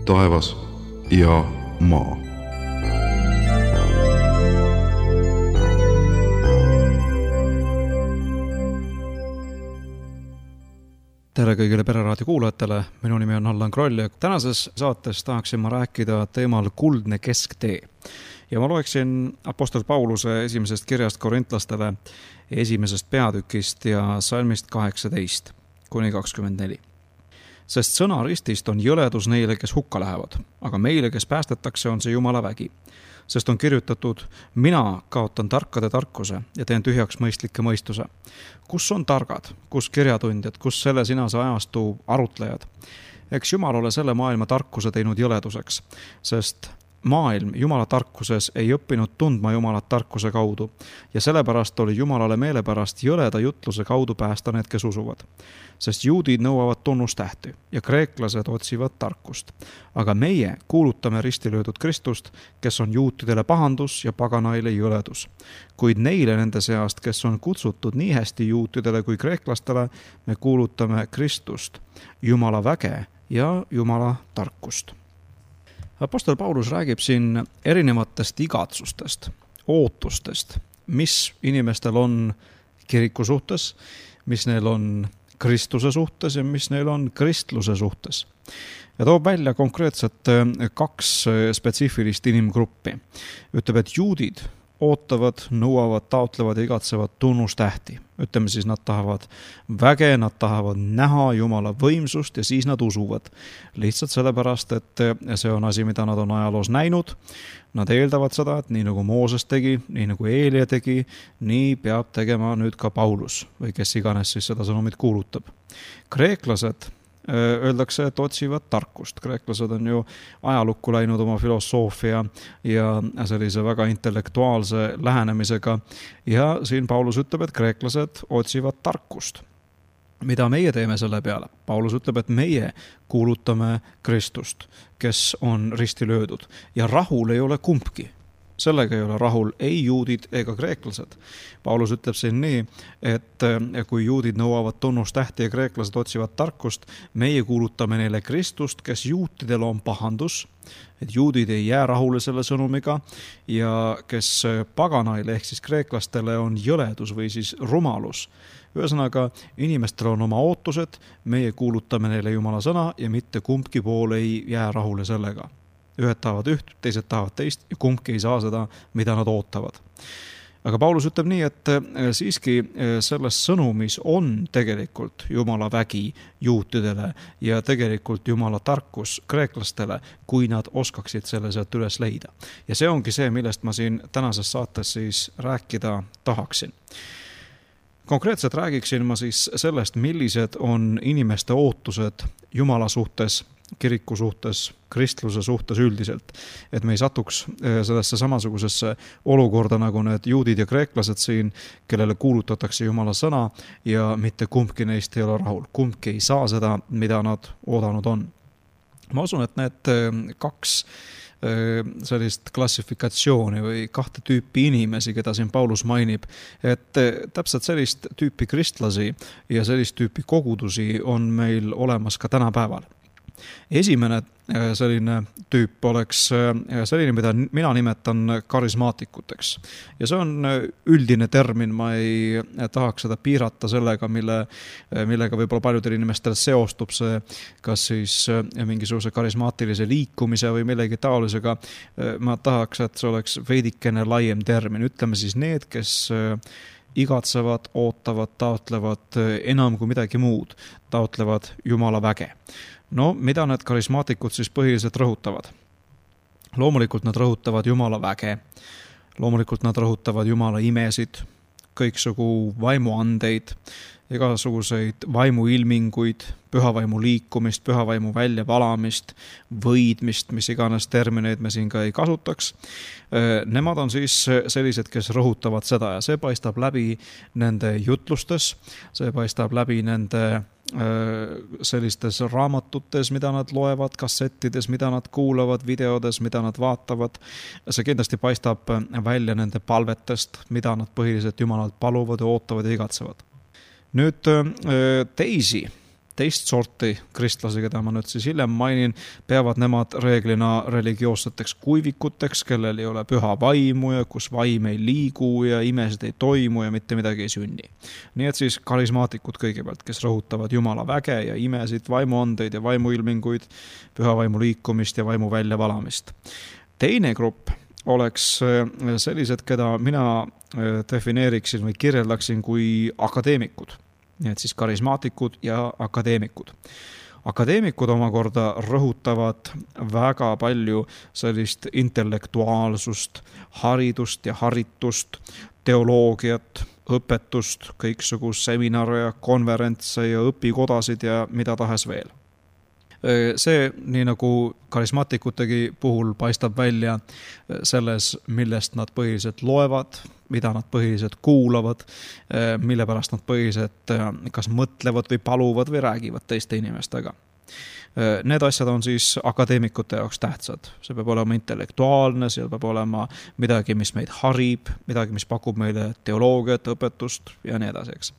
taevas ja maa. Tere kõigile Pereraadio kuulajatele, minu nimi on Allan Kroll ja tänases saates tahaksin ma rääkida teemal kuldne kesktee. Ja ma loeksin Apostel Pauluse esimesest kirjast korintlastele esimesest peatükist ja salmist 18-24. Sest sõna ristist on jõledus neile, kes hukka lähevad, aga meile, kes päästetakse, on see Jumala vägi. Sest on kirjutatud, mina kaotan tarkade tarkuse ja teen tühjaks mõistlikke mõistuse. Kus on targad, kus kirjatundjad, kus selle sinase ajastu arutlejad? Eks Jumal ole selle maailma tarkuse teinud jõleduseks, sest maailm Jumala tarkuses ei õppinud tundma Jumalat tarkuse kaudu ja sellepärast oli Jumalale meelepärast jõleda jutluse kaudu päästa need, kes usuvad. Sest juudid nõuavad tunnustähti ja kreeklased otsivad tarkust. Aga meie kuulutame ristilöödud Kristust, kes on juutidele pahandus ja paganaile jõledus. Kuid neile nende seast, kes on kutsutud nii hästi juutidele kui kreeklastele, me kuulutame Kristust, Jumala väge ja Jumala tarkust. Apostel Paulus räägib siin erinevatest igatsustest, ootustest, mis inimestel on kiriku suhtes, mis neil on Kristuse suhtes ja mis neil on kristluse suhtes. Ja toob välja konkreetselt 2 spetsiifilist inimgruppi. Ütleb, et juudid ootavad, nõuavad, taotlevad ja igatsevad tunnustähti. Ütleme siis, nad tahavad väge, nad tahavad näha Jumala võimsust ja siis nad usuvad. Lihtsalt sellepärast, et see on asi, mida nad on ajaloos näinud. Nad eeldavad seda, et nii nagu Mooses tegi, nii nagu Eelia tegi, nii peab tegema nüüd ka Paulus või kes iganes siis seda sõnumit kuulutab. Kreeklased öeldakse, et otsivad tarkust. Kreeklased on ju ajalukku läinud oma filosoofia ja sellise väga intellektuaalse lähenemisega. Ja siin Paulus ütleb, et kreeklased otsivad tarkust. Mida meie teeme selle peale? Paulus ütleb, et meie kuulutame Kristust, kes on risti löödud. Ja rahul ei ole kumbki. Sellega ei ole rahul ei juudid ega kreeklased. Paulus ütleb siin nii, et kui juudid nõuavad tunnustähti ja kreeklased otsivad tarkust, meie kuulutame neile Kristust, kes juutidel on pahandus, et juudid ei jää rahule selle sõnumiga ja kes paganaile ehk siis kreeklastele on jõledus või siis rumalus. Ühesõnaga, inimestel on oma ootused, meie kuulutame neile Jumala sõna ja mitte kumbki pool ei jää rahule sellega. Ühed tahavad üht, teised tahavad teist ja kumbki ei saa seda, mida nad ootavad. Aga Paulus ütleb nii, et siiski selles sõnumis on tegelikult Jumala vägi juutidele ja tegelikult Jumala tarkus kreeklastele, kui nad oskaksid selle sealt üles leida. Ja see ongi see, millest ma siin tänases saates siis rääkida tahaksin. Konkreetselt räägiksin ma siis sellest, millised on inimeste ootused Jumala suhtes, kiriku suhtes, kristluse suhtes üldiselt. Et me ei satuks sellesse samasugusesse olukorda nagu need juudid ja kreeklased siin, kellele kuulutatakse Jumala sõna ja mitte kumbki neist ei ole rahul. Kumbki ei saa seda, mida nad oodanud on. Ma usun, et need 2 sellist klassifikatsiooni või 2 tüüpi inimesi, keda siin Paulus mainib, et täpselt sellist tüüpi kristlasi ja sellist tüüpi kogudusi on meil olemas ka tänapäeval. Esimene selline tüüp oleks selline, mida mina nimetan karismaatikuteks. Ja see on üldine termin, ma ei tahaks seda piirata sellega, millega võib-olla paljudel inimestel seostub see, kas siis mingisuguse karismaatilise liikumise või millegi taolisega. Ma tahaks, et see oleks veidikene laiem termin. Ütleme siis need, kes igatsevad, ootavad, taotlevad enam kui midagi muud, taotlevad Jumala väge. No, mida need karismaatikud siis põhiliselt rõhutavad? Loomulikult nad rõhutavad Jumala väge, loomulikult nad rõhutavad Jumala imesid, kõiksugu vaimuandeid, igasuguseid vaimuilminguid, pühavaimu liikumist, pühavaimu väljavalamist, võidmist, mis iganes termineid me siin ka ei kasutaks. Nemad on siis sellised, kes rõhutavad seda ja see paistab läbi nende jutlustes, see paistab läbi nende sellistes raamatutes, mida nad loevad, kassettides, mida nad kuulavad, videodes, mida nad vaatavad. See kindlasti paistab välja nende palvetest, mida nad põhiliselt Jumalalt paluvad ja ootavad ja igatsevad. Nüüd teisi teist sorti kristlasi, keda ma nüüd siis hiljem mainin, peavad nemad reeglina religioosseteks kuivikuteks, kellel ei ole püha vaimu ja kus vaim ei liigu ja imesid ei toimu ja mitte midagi ei sünni. Nii et siis karismaatikud kõigepealt, kes rõhutavad Jumala väge ja imesid, vaimuandeid ja vaimuilminguid, püha vaimu liikumist ja vaimu väljavalamist. Teine grupp oleks sellised, keda mina defineeriksin või kirjeldaksin kui akadeemikud. Nii et siis karismaatikud ja akadeemikud. Akadeemikud omakorda rõhutavad väga palju sellist intellektuaalsust, haridust ja haritust, teoloogiat, õpetust, kõiksugust seminare ja konverentse ja õpikodasid ja mida tahes veel. See, nii nagu karismaatikutegi puhul, paistab välja selles, millest nad põhiliselt loevad, mida nad põhiliselt kuulavad, mille pärast nad põhiliselt kas mõtlevad või paluvad või räägivad teiste inimestega. Need asjad on siis akadeemikute jaoks tähtsad. See peab olema intellektuaalne, seal peab olema midagi, mis meid harib, midagi, mis pakub meile teoloogiat, õpetust ja nii edasi, eks.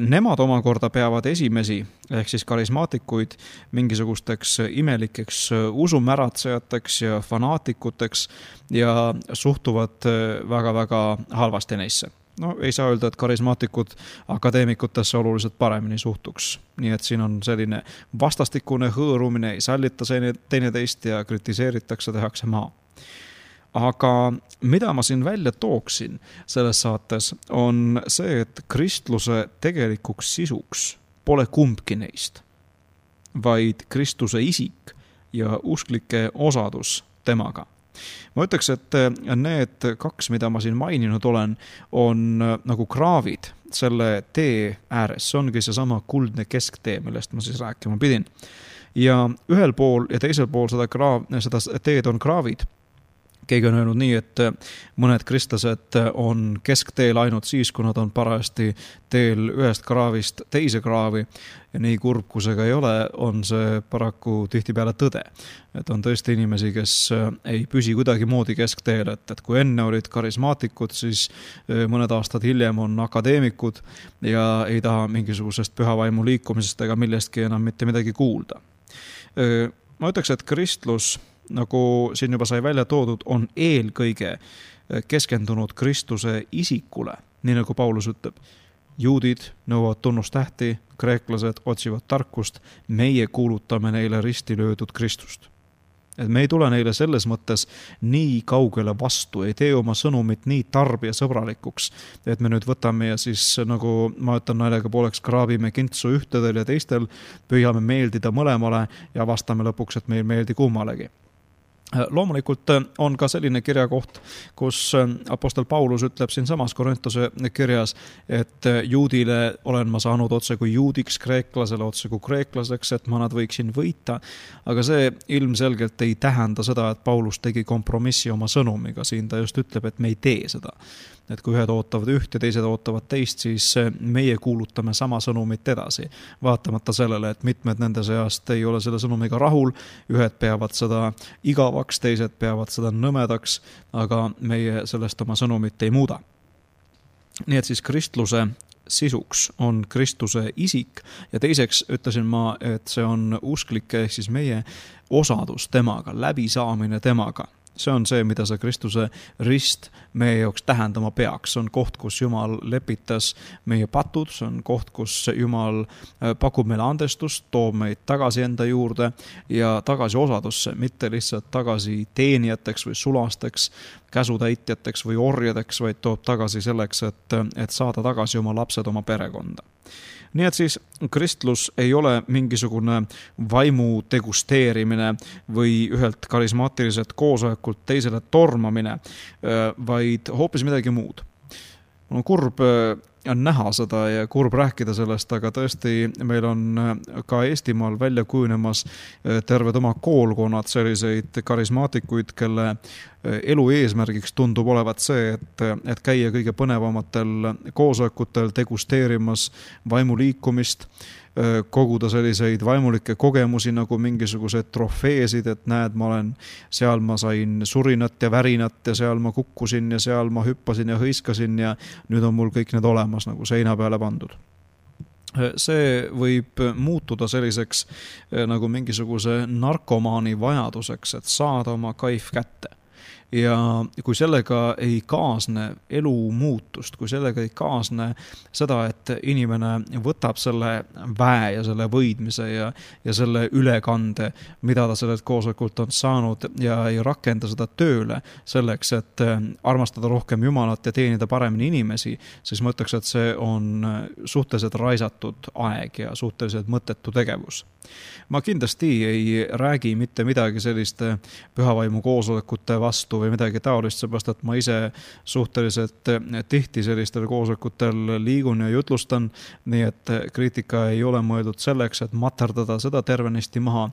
Nemad omakorda peavad esimesi, ehk siis karismaatikuid, mingisugusteks imelikeks usumäratsejateks ja fanaatikuteks ja suhtuvad väga-väga halvasti neisse. No ei saa öelda, et karismaatikud akadeemikutesse oluliselt paremini suhtuks. Nii et siin on selline vastastikune hõõrumine, ei sallita teineteist ja kritiseeritakse, tehakse maa. Aga mida ma siin välja tooksin selles saates on see, et kristluse tegelikuks sisuks pole kumbki neist, vaid Kristuse isik ja usklike osadus temaga. Ma ütleks, et need kaks, mida ma siin maininud olen, on nagu kraavid selle tee ääres. See ongi seesama kuldne kesktee, millest ma siis rääkima pidin. Ja ühel pool ja teisel pool seda teed on kraavid. Keegi on öelnud nii, et mõned kristlased on keskteel ainult siis, kui nad on parajasti teel ühest kraavist teise kraavi ja nii kurb, kui see ka ei ole, on see paraku tihtipeale tõde. Et on tõesti inimesi, kes ei püsi kuidagi moodi keskteel, et kui enne olid karismaatikud, siis mõned aastad hiljem on akadeemikud ja ei taha mingisugusest püha vaimu liikumisest ega millestki enam mitte midagi kuulda. Ma ütleks, et kristlus, nagu siin juba sai välja toodud, on eelkõige keskendunud Kristuse isikule, nii nagu Paulus ütleb. Juudid nõuavad tunnustähti, kreeklased otsivad tarkust, meie kuulutame neile risti löödud Kristust. Et me ei tule neile selles mõttes nii kaugele vastu, ei tee oma sõnumit nii tarbijasõbralikuks, et me nüüd võtame ja siis, nagu ma ütlen naljaga pooleks, kraabime kintsu ühtedel ja teistel, püüame meeldida mõlemale ja vastame lõpuks, et meil meeldi kummalegi. Loomulikult on ka selline kirjakoht, kus apostel Paulus ütleb siin samas Korintuse kirjas, et juudile olen ma saanud otse kui juudiks, kreeklasele otse kui kreeklaseks, et ma nad võiksin võita. Aga see ilmselgelt ei tähenda seda, et Paulus tegi kompromissi oma sõnumiga. Siin ta just ütleb, et me ei tee seda. Et kui ühed ootavad üht ja teised ootavad teist, siis meie kuulutame sama sõnumit edasi. Vaatamata sellele, et mitmed nende seast ei ole selle sõnumiga rahul, ühed peavad seda igavaks, teised peavad seda nõmedaks, aga meie sellest oma sõnumit ei muuda. Nii et siis kristluse sisuks on Kristuse isik ja teiseks ütlesin ma, et see on usklike ehk siis meie osadus temaga, läbisaamine temaga. See on see, mida see Kristuse rist meie jaoks tähendama peaks. See on koht, kus Jumal lepitas meie patud, see on koht, kus Jumal pakub meile andestust, toob meid tagasi enda juurde ja tagasi osadusse, mitte lihtsalt tagasi teenijateks või sulasteks, käsutäitjateks või orjadeks, vaid toob tagasi selleks, et saada tagasi oma lapsed oma perekonda. Nii et siis kristlus ei ole mingisugune vaimu degusteerimine või ühelt karismaatiliselt koosolekult teisele tormamine, vaid hoopis midagi muud. On kurb näha seda ja kurb rääkida sellest, aga tõesti meil on ka Eestimaal välja kujunemas terved oma koolkonnad selliseid karismaatikuid, kelle elu eesmärgiks tundub olevat see, et käia kõige põnevamatel koosolekutel degusteerimas vaimuliikumist, koguda selliseid vaimulikke kogemusi nagu mingisugused trofeesid, et näed, seal ma sain surinat ja värinat ja seal ma kukkusin ja seal ma hüppasin ja hõiskasin ja nüüd on mul kõik need olemas nagu seina peale pandud. see võib muutuda selliseks nagu mingisuguse narkomaani vajaduseks, et saada oma kaif kätte. Ja kui sellega ei kaasne elu muutust, kui sellega ei kaasne seda, et inimene võtab selle väe ja selle võidmise ja selle ülekande, mida ta sellelt koosolekult on saanud ja ei rakenda seda tööle selleks, et armastada rohkem Jumalat ja teenida paremini inimesi, siis ma ütleks, et see on suhteliselt raisatud aeg ja suhteliselt mõttetu tegevus. Ma kindlasti ei räägi mitte midagi selliste pühavaimu koosolekute vastu või midagi taolist, seepärast, et ma ise suhteliselt tihti sellistel koosolekutel liigun ja jutlustan, nii et kriitika ei ole mõeldud selleks, et materdada seda tervenisti maha,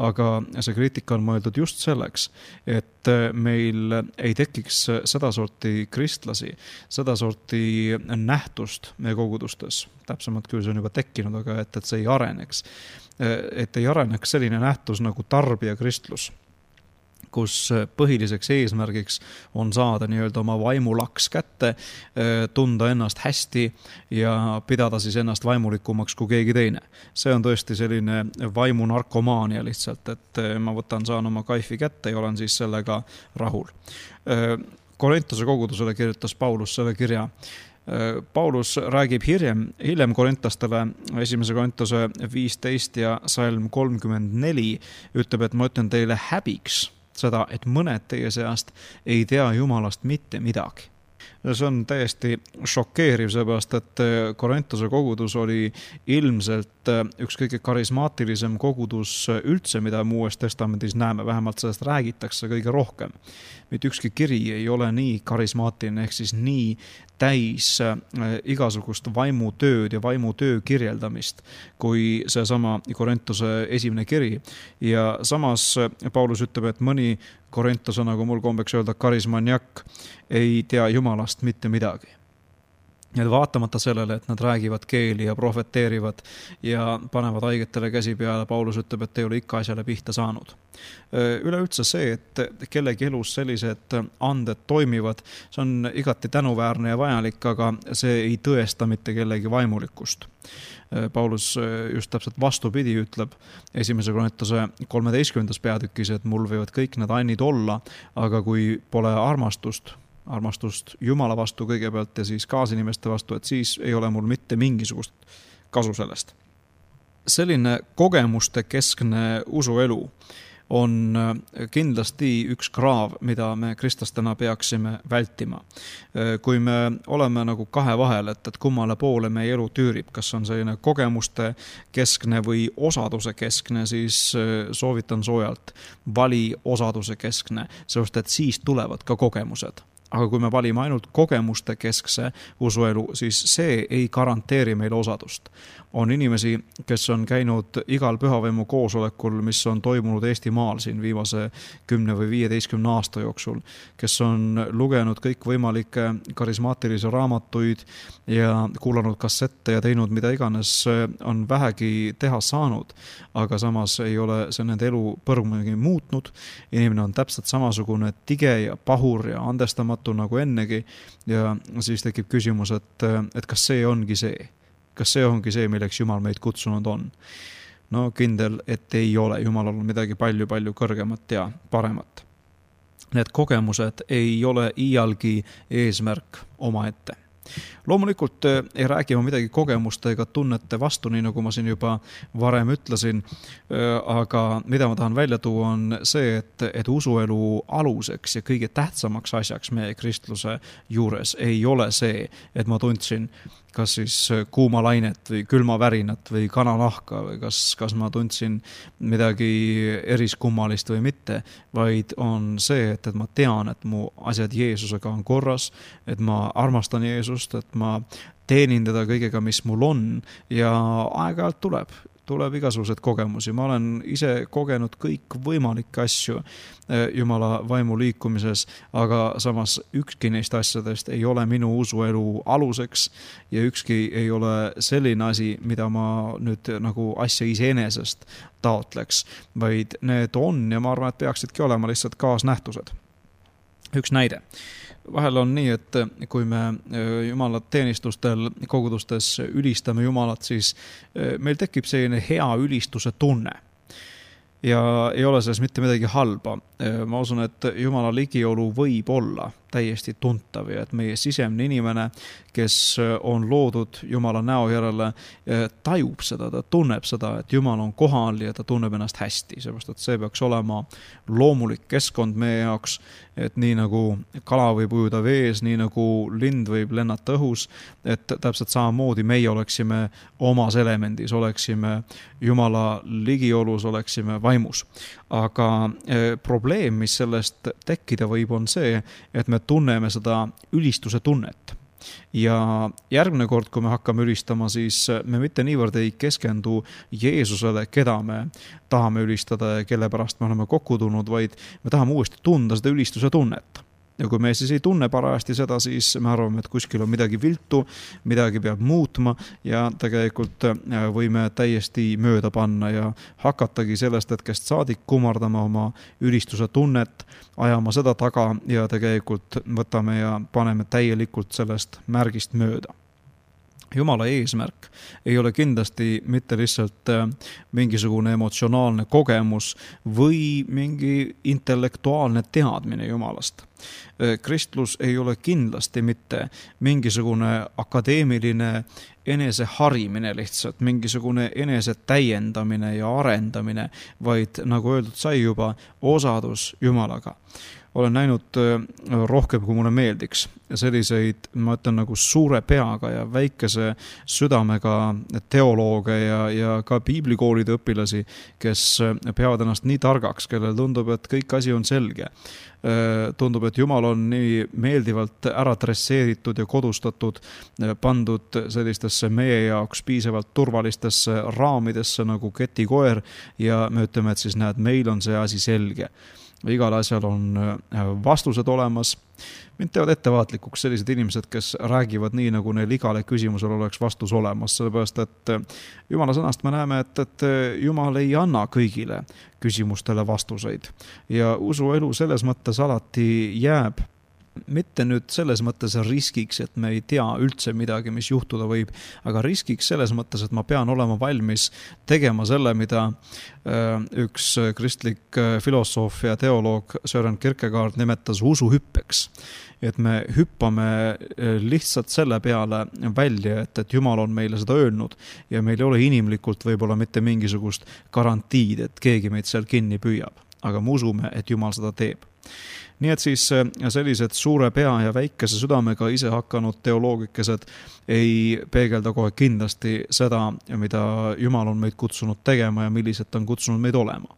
aga see kriitika on mõeldud just selleks, et meil ei tekiks sedasorti kristlasi, sedasorti nähtust meie kogudustes. Täpsemalt küll see on juba tekkinud, aga et see ei areneks. Et ei areneks selline nähtus nagu tarbijakristlus, kus põhiliseks eesmärgiks on saada nii-öelda oma vaimulaks kätte, tunda ennast hästi ja pidada siis ennast vaimulikumaks kui keegi teine. See on tõesti selline vaimunarkomaania lihtsalt, et ma saan oma kaifi kätte ja olen siis sellega rahul. Korintuse kogudusele kirjutas Paulus selle kirja. Paulus räägib hiljem korintlastele 1. Korintuse 15 ja salm 34, ütleb, et ma ütlen teile häbiks seda, et mõned teie seast ei tea Jumalast mitte midagi. See on täiesti šokeeriv, seepärast, et Korintuse kogudus oli ilmselt üks kõige karismaatilisem kogudus üldse, mida me Uues Testamendis näeme, vähemalt sellest räägitakse kõige rohkem. Mitte ükski kiri ei ole nii karismaatiline, ehk siis nii täis igasugust vaimutööd ja vaimutöö kirjeldamist kui seesama Korintuse esimene kiri. Ja samas Paulus ütleb, et mõni Korintuse, nagu mul kombeks öelda, karismaniak ei tea Jumalast mitte midagi. Ja vaatamata sellele, et nad räägivad keeli ja profeteerivad ja panevad haigetele käsi peale, Paulus ütleb, et ei ole ikka asjale pihta saanud. Üleüldse see, et kellegi elus sellised anded toimivad, see on igati tänuväärne ja vajalik, aga see ei tõesta mitte kellegi vaimulikkust. Paulus just täpselt vastupidi ütleb 1. Korintuse 13. peatükis, et mul võivad kõik need annid olla, aga kui pole armastust Jumala vastu kõigepealt ja siis kaasinimeste vastu, et siis ei ole mul mitte mingisugust kasu sellest. Selline kogemuste keskne usuelu on kindlasti üks kraav, mida me kristlastena peaksime vältima. Kui me oleme nagu kahe vahel, et kummale poole meie elu tüürib, kas on selline kogemuste keskne või osaduse keskne, siis soovitan soojalt vali osaduse keskne, sest et siis tulevad ka kogemused. Aga kui me valime ainult kogemuste keskse usuelu, siis see ei garanteeri meile osadust. On inimesi, kes on käinud igal pühavaimu koosolekul, mis on toimunud Eestimaal siin viimase 10 või 15 aasta jooksul, kes on lugenud kõik võimalikke karismaatilisi raamatuid ja kuulanud kassette ja teinud mida iganes on vähegi teha saanud, aga samas ei ole see nende elu põrmugi muutnud. Inimene on täpselt samasugune tige ja pahur ja andestamatu nagu ennegi ja siis tekib küsimus, et kas see ongi see? Kas see ongi see, milleks Jumal meid kutsunud on? No kindel, et ei ole. Jumalal on midagi palju kõrgemat ja paremat. Need kogemused ei ole iialgi eesmärk omaette. Loomulikult ei räägi ma midagi kogemuste ega tunnete vastu, nii nagu ma siin juba varem ütlesin, aga mida ma tahan välja tuua on see, et usuelu aluseks ja kõige tähtsamaks asjaks meie kristluse juures ei ole see, et ma tundsin kas siis kuumalainet või külmavärinat või kananahka või kas ma tundsin midagi eriskummalist või mitte, vaid on see, et ma tean, et mu asjad Jeesusega on korras, et ma armastan Jeesust, et ma teenin teda kõigega, mis mul on ja aeg-ajalt tuleb igasugused kogemusi. Ma olen ise kogenud kõik võimalikke asju Jumala vaimu liikumises, aga samas ükski neist asjadest ei ole minu usuelu aluseks ja ükski ei ole selline asi, mida ma nüüd nagu asja iseenesest taotleks, vaid need on ja ma arvan, et peaksidki olema lihtsalt kaasnähtused. Üks näide. vahel on nii, et kui me Jumala teenistustel kogudustes ülistame Jumalat, siis meil tekib selline hea ülistuse tunne. Ja ei ole selles mitte midagi halba. Ma usun, et Jumala ligiolu võib olla täiesti tuntav ja et meie sisemne inimene, kes on loodud Jumala näo järele, tajub seda, ta tunneb seda, et Jumal on kohal ja ta tunneb ennast hästi. Seepärast, et see peaks olema loomulik keskkond meie jaoks, et nii nagu kala võib ujuda vees, nii nagu lind võib lennata õhus, et täpselt samamoodi meie oleksime omas elemendis, oleksime Jumala ligiolus, oleksime vaimus. Aga probleem, mis sellest tekkida võib, on see, et me tunneme seda ülistuse tunnet. Ja järgmine kord, kui me hakkame ülistama, siis me mitte niivõrd ei keskendu Jeesusele, keda me tahame ülistada ja kelle pärast me oleme kokku tulnud, vaid me tahame uuesti tunda seda ülistuse tunnet. Ja kui me siis ei tunne parajasti seda, siis me arvame, et kuskil on midagi viltu, midagi peab muutma ja tegelikult võime täiesti mööda panna ja hakatagi sellest hetkest saadik kummardama oma ülistuse tunnet, ajama seda taga ja tegelikult võtame ja paneme täielikult sellest märgist mööda. Jumala eesmärk ei ole kindlasti mitte lihtsalt mingisugune emotsionaalne kogemus või mingi intellektuaalne teadmine Jumalast. Kristlus ei ole kindlasti mitte mingisugune akadeemiline eneseharimine lihtsalt, mingisugune enese täiendamine ja arendamine, vaid nagu öeldud sai juba, osadus Jumalaga. Olen näinud rohkem, kui mulle meeldiks. Selliseid, ma ütlen, nagu suure peaga ja väikese südamega teolooge ja ka piiblikoolide õpilasi, kes peavad ennast nii targaks, kellel tundub, et kõik asi on selge. Tundub, et Jumal on nii meeldivalt ära dresseeritud ja kodustatud, pandud sellistesse meie jaoks piisavalt turvalistesse raamidesse nagu ketikoer ja me ütleme, et siis näed, meil on see asi selge. Igal asjal on vastused olemas. Mind teevad ettevaatlikuks sellised inimesed, kes räägivad nii, nagu neil igale küsimusel oleks vastus olemas, sellepärast, et Jumala sõnast me näeme, et Jumal ei anna kõigile küsimustele vastuseid. Ja usuelu selles mõttes alati jääb mitte nüüd selles mõttes riskiks, et me ei tea üldse midagi, mis juhtuda võib, aga riskiks selles mõttes, et ma pean olema valmis tegema selle, mida üks kristlik filosoof ja teoloog Søren Kierkegaard nimetas usuhüppeks. Et me hüppame lihtsalt selle peale välja, et Jumal on meile seda öelnud ja meil ei ole inimlikult võib-olla mitte mingisugust garantiid, et keegi meid seal kinni püüab. Aga me usume, et Jumal seda teeb. Nii et siis sellised suure pea ja väikese südamega ise hakanud teoloogikesed ei peegelda kohe kindlasti seda, mida Jumal on meid kutsunud tegema ja millised ta on kutsunud meid olema.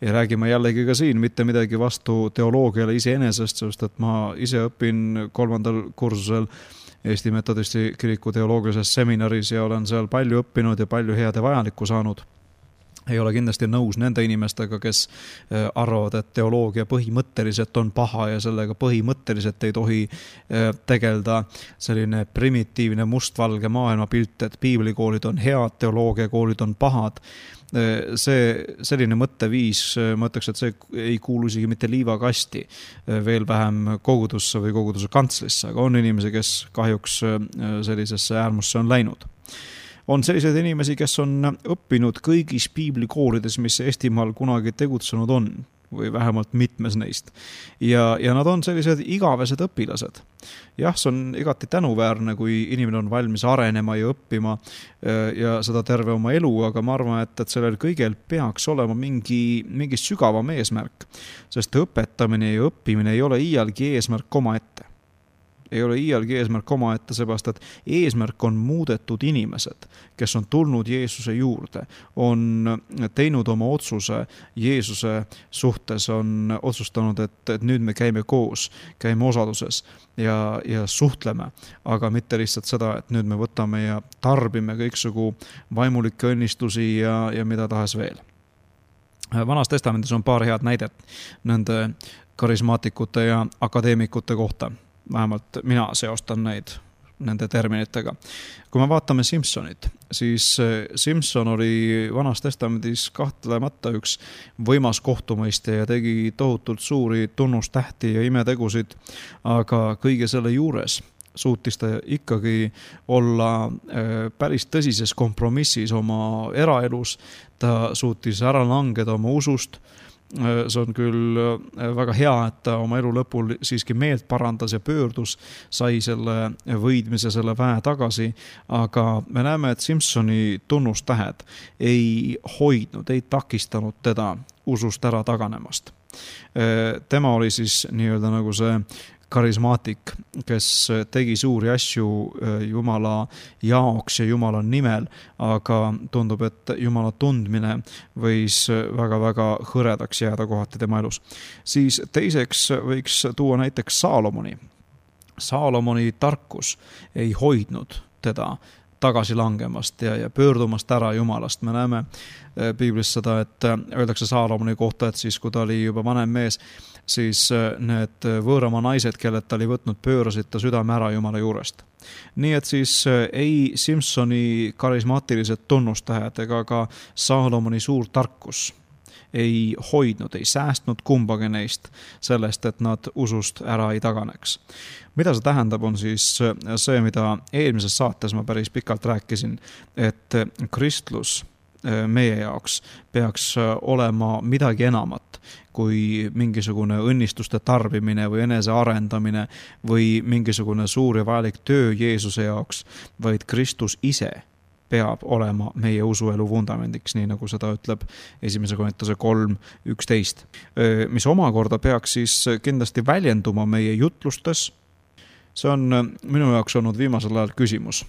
Ja räägime jällegi ka siin mitte midagi vastu teoloogiale iseenesest, sest et ma ise õpin 3. kursusel Eesti Metodisti kiriku teoloogilises seminaris ja olen seal palju õppinud ja palju head ja vajalikku saanud. Ei ole kindlasti nõus nende inimestega, kes arvavad, et teoloogia põhimõtteliselt on paha ja sellega põhimõtteliselt ei tohi tegelda selline primitiivne mustvalge maailmapilt, et piiblikoolid on head, teoloogiakoolid on pahad. Selline mõtteviis, ma ütleks, et see ei kuulu isegi mitte liivakasti, veel vähem kogudusse või koguduse kantslisse, aga on inimesi, kes kahjuks sellisesse äärmusse on läinud. On selliseid inimesi, kes on õppinud kõigis piiblikoolides, mis Eestimaal kunagi tegutsenud on, või vähemalt mitmes neist. Ja nad on sellised igavesed õpilased. Jah, see on igati tänuväärne, kui inimene on valmis arenema ja õppima ja seda terve oma elu, aga ma arvan, et sellel kõigel peaks olema mingi sügavam eesmärk, sest õpetamine ja õppimine ei ole iialgi eesmärk omaette. Ei ole iialgi eesmärk omaette, seepärast, et eesmärk on muudetud inimesed, kes on tulnud Jeesuse juurde, on teinud oma otsuse Jeesuse suhtes, on otsustanud, et nüüd me käime koos, käime osaduses ja suhtleme, aga mitte lihtsalt seda, et nüüd me võtame ja tarbime kõiksugu vaimulikke õnnistusi ja mida tahes veel. Vanas testamendis on paar head näidet nende karismaatikute ja akadeemikute kohta. Vähemalt mina seostan neid nende terminitega. Kui me vaatame Simsonit, siis Simson oli Vanas Testamendis kahtlemata üks võimas kohtumõistja ja tegi tohutult suuri tunnustähti ja imetegusid, aga kõige selle juures suutis ta ikkagi olla päris tõsises kompromissis oma eraelus, ta suutis ära langeda oma usust. See on küll väga hea, et ta oma elu lõpul siiski meelt parandas ja pöördus, sai selle võidmise, selle väe tagasi, aga me näeme, et Simsoni tunnustähed ei hoidnud, ei takistanud teda usust ära taganemast. Tema oli siis nii-öelda nagu see karismaatik, kes tegi suuri asju Jumala jaoks ja Jumala nimel, aga tundub, et Jumala tundmine võis väga-väga hõredaks jääda kohati tema elus. Siis teiseks võiks tuua näiteks Saalomoni. Saalomoni tarkus ei hoidnud teda tagasi langemast ja pöördumast ära Jumalast. Me näeme Piiblis seda, et öeldakse Saalomoni kohta, et siis kui ta oli juba vanem mees, siis need võõrama naised, kellelt ta oli võtnud, pöörasid ta südame ära Jumala juurest. Nii et siis ei Simsoni karismaatilised tunnustähed ega ka Saalomoni suur tarkus ei hoidnud, ei säästnud kumbagi neist sellest, et nad usust ära ei taganeks. Mida see tähendab, on siis see, mida eelmises saates ma päris pikalt rääkisin, et kristlus meie jaoks peaks olema midagi enamat kui mingisugune õnnistuste tarbimine või enese arendamine või mingisugune suur ja vajalik töö Jeesuse jaoks, vaid Kristus ise peab olema meie usuelu vundamendiks, nii nagu seda ütleb 1. Korintuse 3:11, mis omakorda peaks siis kindlasti väljenduma meie jutlustes. See on minu jaoks olnud viimasel ajal küsimus.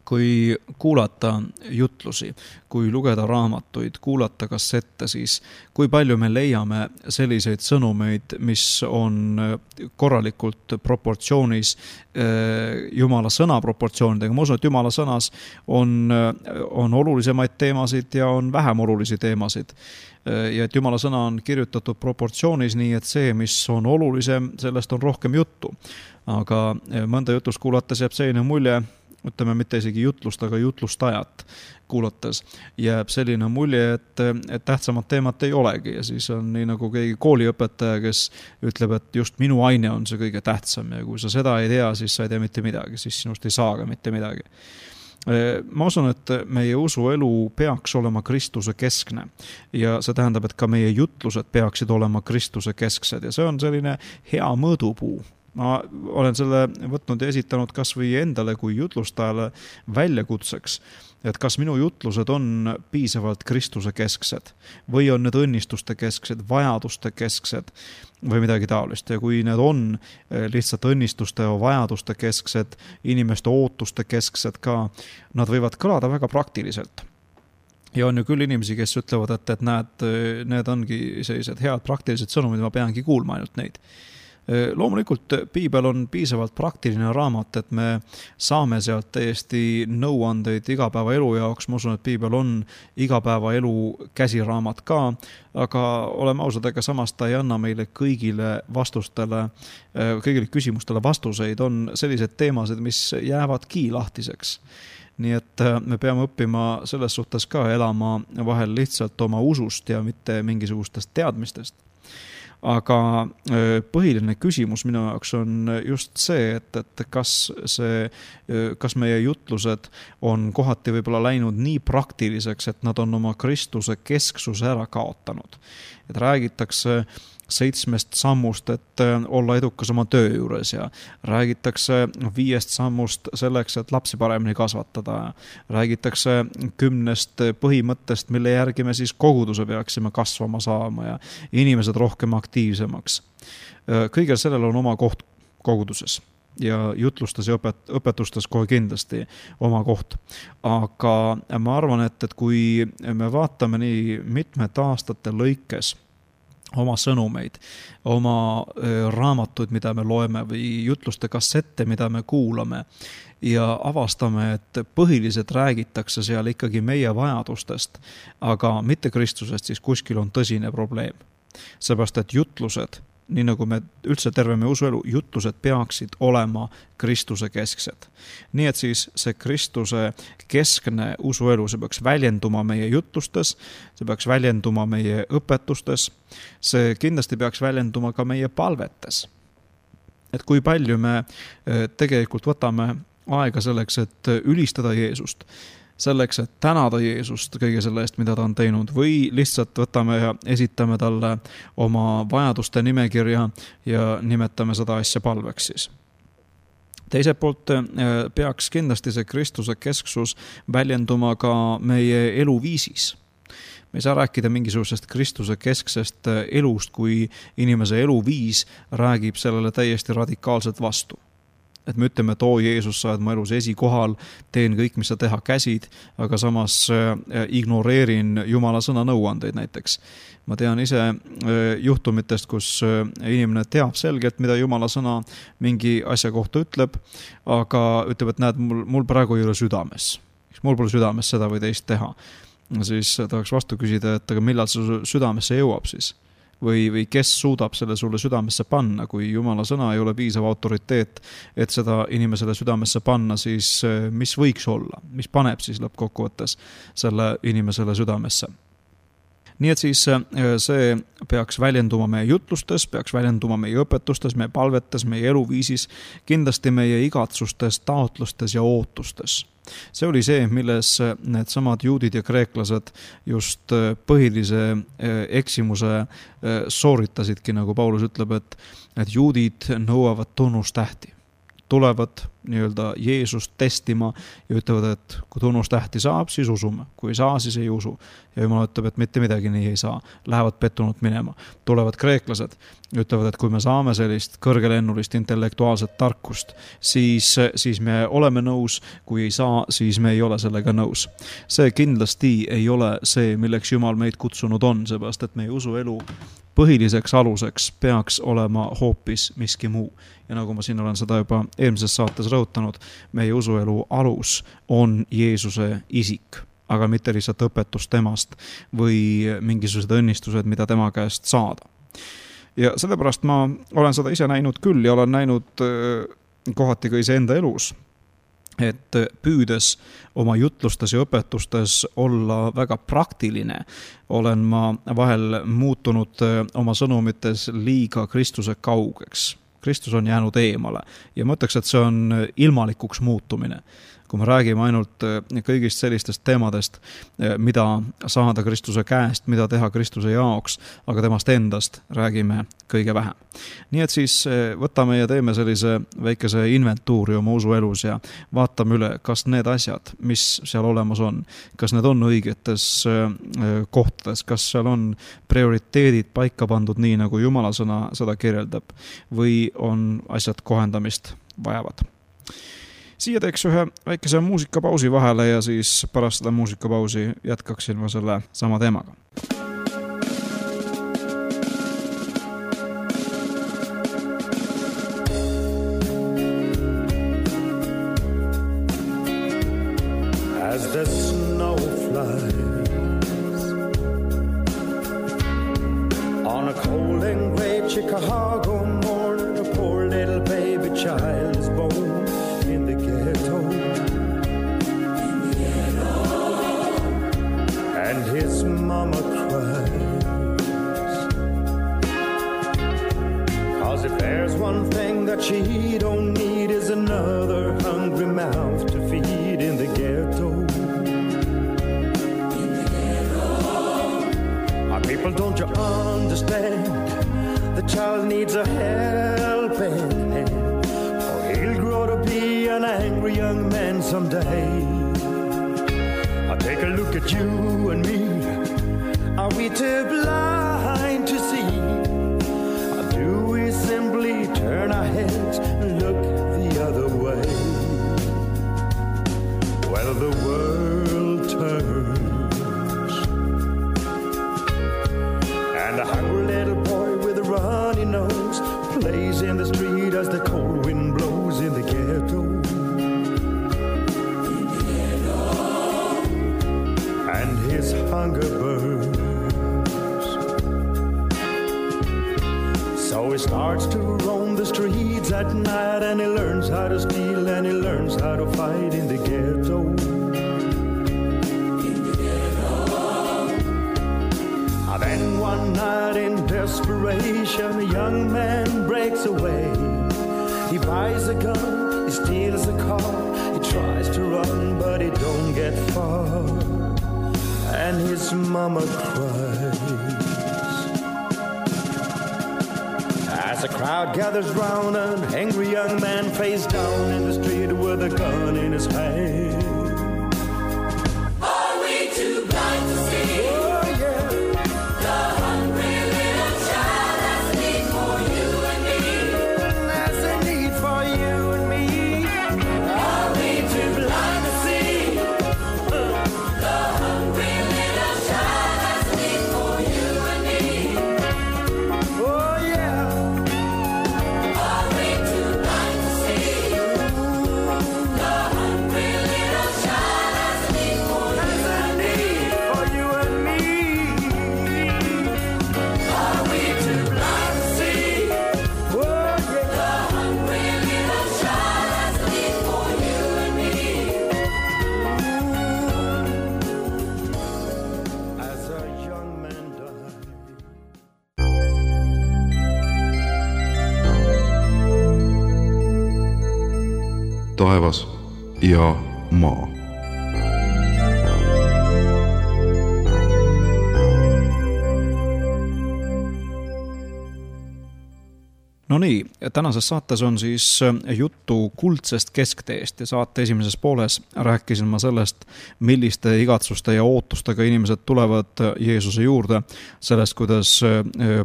Kui kuulata jutlusi, kui lugeda raamatuid, kuulata kassette, siis kui palju me leiame selliseid sõnumeid, mis on korralikult proportsioonis Jumala sõna proportsioonidega. Ma usun, et Jumala sõnas on olulisemaid teemasid ja on vähem olulisi teemasid. Ja et Jumala sõna on kirjutatud proportsioonis nii, et see, mis on olulisem, sellest on rohkem juttu. Aga mõnda jutust kuulates jääb selline mulje, ütleme mitte isegi jutlust, aga jutlustajat kuulates jääb selline mulje, et tähtsamat teemat ei olegi ja siis on nii nagu keegi kooliõpetaja, kes ütleb, et just minu aine on see kõige tähtsam ja kui sa seda ei tea, siis sa ei tea mitte midagi, siis sinust ei saa ka mitte midagi. Ma usun, et meie usuelu peaks olema Kristuse keskne ja see tähendab, et ka meie jutlused peaksid olema Kristuse kesksed ja see on selline hea mõõdupuu. Ma olen selle võtnud ja esitanud kas või endale kui jutlustajale väljakutseks, et kas minu jutlused on piisavalt Kristuse kesksed või on need õnnistuste kesksed, vajaduste kesksed või midagi taolist. Ja kui need on lihtsalt õnnistuste ja vajaduste kesksed, inimeste ootuste kesksed ka, nad võivad kõlada väga praktiliselt. Ja on ju küll inimesi, kes ütlevad, et need ongi sellised head praktilised sõnumid, ma peangi kuulma ainult neid. Loomulikult piibel on piisavalt praktiline raamat, et me saame sealt täiesti nõuandeid igapäeva elu jaoks. Ma usun, et piibel on igapäeva elu käsiraamat ka, aga oleme ausad, ega samas ta ei anna meile kõigile küsimustele vastuseid. On sellised teemasid, mis jäävadki lahtiseks. Nii et me peame õppima selles suhtes ka elama vahel lihtsalt oma usust ja mitte mingisugustest teadmistest. Aga põhiline küsimus minu jaoks on just see, et kas meie jutlused on kohati võib-olla läinud nii praktiliseks, et nad on oma Kristuse kesksuse ära kaotanud. Et räägitakse 7 sammust, et olla edukas oma töö juures ja räägitakse 5 sammust selleks, et lapsi paremini kasvatada. Räägitakse 10 põhimõttest, mille järgi me siis koguduse peaksime kasvama saama ja inimesed rohkem aktiivsemaks. Kõigel sellel on oma koht koguduses ja jutlustes ja õpetustes kohe kindlasti oma koht. Aga ma arvan, et kui me vaatame nii mitmed aastate lõikes oma sõnumeid, oma raamatuid, mida me loeme või jutluste kassette, mida me kuulame ja avastame, et põhiliselt räägitakse seal ikkagi meie vajadustest, aga mitte Kristusest, siis kuskil on tõsine probleem. Seepärast, et jutlused nii nagu me üldse terve meie usuelu, jutlused peaksid olema Kristuse kesksed. Nii et siis see Kristuse keskne usuelu, see peaks väljenduma meie jutlustes, see peaks väljenduma meie õpetustes, see kindlasti peaks väljenduma ka meie palvetes. Et kui palju me tegelikult võtame aega selleks, et ülistada Jeesust, selleks, et tänada Jeesust kõige selle eest, mida ta on teinud, või lihtsalt võtame ja esitame talle oma vajaduste nimekirja ja nimetame seda asja palveks siis. Teiselt poolt peaks kindlasti see Kristuse kesksus väljenduma ka meie eluviisis. Me ei saa rääkida mingisugusest Kristuse kesksest elust, kui inimese eluviis räägib sellele täiesti radikaalselt vastu. Et me ütleme, et Jeesus, sa oled mu elus esikohal, teen kõik, mis sa teha käsid, aga samas ignoreerin Jumala sõna nõuandeid näiteks. Ma tean ise juhtumitest, kus inimene teab selgelt, mida Jumala sõna mingi asja kohta ütleb, aga ütleb, et näed, mul praegu ei ole südames. Mul pole südames seda või teist teha. Siis tahaks vastu küsida, et aga millal see südamesse jõuab siis? Või kes suudab selle sulle südamesse panna, kui Jumala sõna ei ole piisav autoriteet, et seda inimesele südamesse panna, siis mis võiks olla, mis paneb siis lõppkokkuvõttes selle inimesele südamesse. Nii et siis see peaks väljenduma meie jutlustes, peaks väljenduma meie õpetustes, meie palvetes, meie eluviisis, kindlasti meie igatsustes, taotlustes ja ootustes. See oli see, milles need samad juudid ja kreeklased just põhilise eksimuse sooritasidki, nagu Paulus ütleb, et juudid nõuavad tunnustähti. Tulevad nii-öelda Jeesust testima ja ütlevad, et kui tunnustähti saab, siis usume. Kui ei saa, siis ei usu. Ja Jumal ütleb, et mitte midagi nii ei saa. Lähevad pettunult minema. Tulevad kreeklased, ütlevad, et kui me saame sellist kõrgelennulist intellektuaalset tarkust, siis me oleme nõus. Kui ei saa, siis me ei ole sellega nõus. See kindlasti ei ole see, milleks Jumal meid kutsunud on, seepärast, et meie usuelu põhiliseks aluseks peaks olema hoopis miski muu. Ja nagu ma siin olen seda juba eelmises saates rõhutanud, meie usuelu alus on Jeesuse isik, aga mitte lihtsalt õpetus temast või mingisugused õnnistused, mida tema käest saada. Ja sellepärast ma olen seda ise näinud küll ja olen näinud kohati ka iseenda elus, et püüdes oma jutlustes ja õpetustes olla väga praktiline, olen ma vahel muutunud oma sõnumites liiga Kristuse kaugeks. Kristus on jäänud eemale ja mõtleks, et see on ilmalikuks muutumine. Kui me räägime ainult kõigist sellistest teemadest, mida saada Kristuse käest, mida teha Kristuse jaoks, aga temast endast räägime kõige vähem. Nii et siis võtame ja teeme sellise väikese inventuuri oma usuelus ja vaatame üle, kas need asjad, mis seal olemas on, kas need on õigetes kohtades, kas seal on prioriteedid paika pandud nii, nagu Jumala sõna seda kirjeldab, või on asjad kohendamist vajavad. Siia teeks ühe väikese muusikapausi vahele ja siis pärast seda muusikapausi jätkaksin ma selle sama teemaga. As the snow flies on a cold and gray Chicago morning, a poor little baby child is born. And his mama cries, 'cause if there's one thing that she don't need is another hungry mouth to feed in the ghetto. My people, don't you understand? The child needs a helping hand, or he'll grow to be an angry young man someday. Take a look at you and me. Are we too blind to see? Or do we simply turn our heads and look the other way? Well, the world turns, and a hungry little boy with a runny nose plays in the street as the cold wind blows in the ghetto. And his hunger burns. So his starts to roam the streets at night, and he learns how to steal, and he learns how to fight in the ghetto. Then one night in desperation, a young man breaks away. He buys a gun, he steals a car, he tries to run, but he don't get far, and his mama cries. As a crowd gathers round, an angry young man face down in the street with a gun in his hand. Are we too blind to see? Taevas ja maa. No nii, tänases saates on siis juttu kuldsest keskteest ja saate esimeses pooles rääkisin ma sellest, milliste igatsuste ja ootustega inimesed tulevad Jeesuse juurde. Sellest, kuidas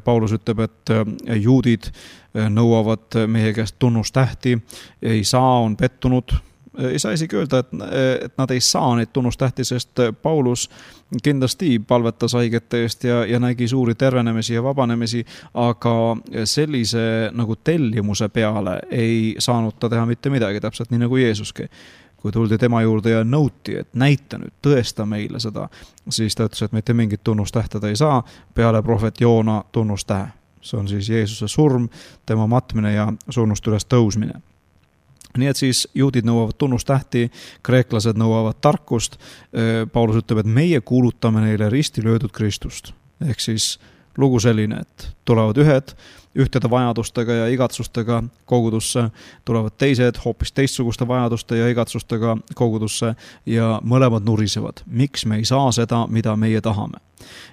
Paulus ütleb, et juudid nõuavad meie käest tunnustähti, ei saa, on pettunud. Ei saa isegi öelda, et nad ei saa neid tunnustähti, sest Paulus kindlasti palvetas haigete eest ja nägi suuri tervenemisi ja vabanemisi, aga sellise nagu tellimuse peale ei saanud ta teha mitte midagi, täpselt nii nagu Jeesuski. Kui tuldi tema juurde ja nõuti, et näita nüüd, tõesta meile seda, siis ta ütles, et mitte mingit tunnustähte ta ei saa peale prohvet Joona tunnustähe. See on siis Jeesuse surm, tema matmine ja surnust üles tõusmine. Nii et siis juudid nõuavad tunnustähti, kreeklased nõuavad tarkust. Paulus ütleb, et meie kuulutame neile risti löödud Kristust. Ehk siis lugu selline, et tulevad ühed ühtede vajadustega ja igatsustega kogudusse, tulevad teised hoopis teistsuguste vajaduste ja igatsustega kogudusse ja mõlemad nurisevad. Miks me ei saa seda, mida meie tahame?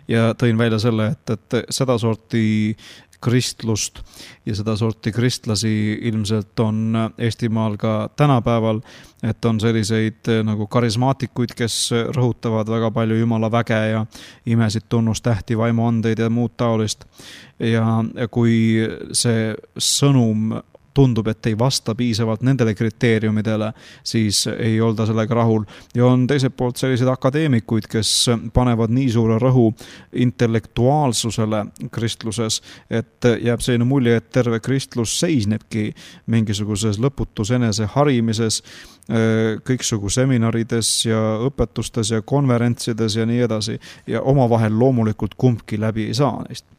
Ja tõin välja selle, et seda sorti kristlust ja seda sorti kristlasi ilmselt on Eestimaal ka tänapäeval, et on selliseid nagu karismaatikuid, kes rõhutavad väga palju Jumala väge ja imesid tunnustähti, vaimuandeid ja muud taolist. Ja kui see sõnum tundub, et ei vasta piisavalt nendele kriteeriumidele, siis ei olda sellega rahul. Ja on teiselt poolt sellised akadeemikuid, kes panevad nii suure rõhu intellektuaalsusele kristluses, et jääb selline mulje, et terve kristlus seisnebki mingisuguses lõputus enese harimises, kõiksugu seminarides ja õpetustes ja konverentsides ja nii edasi. Ja omavahel loomulikult kumbki läbi ei saa neist.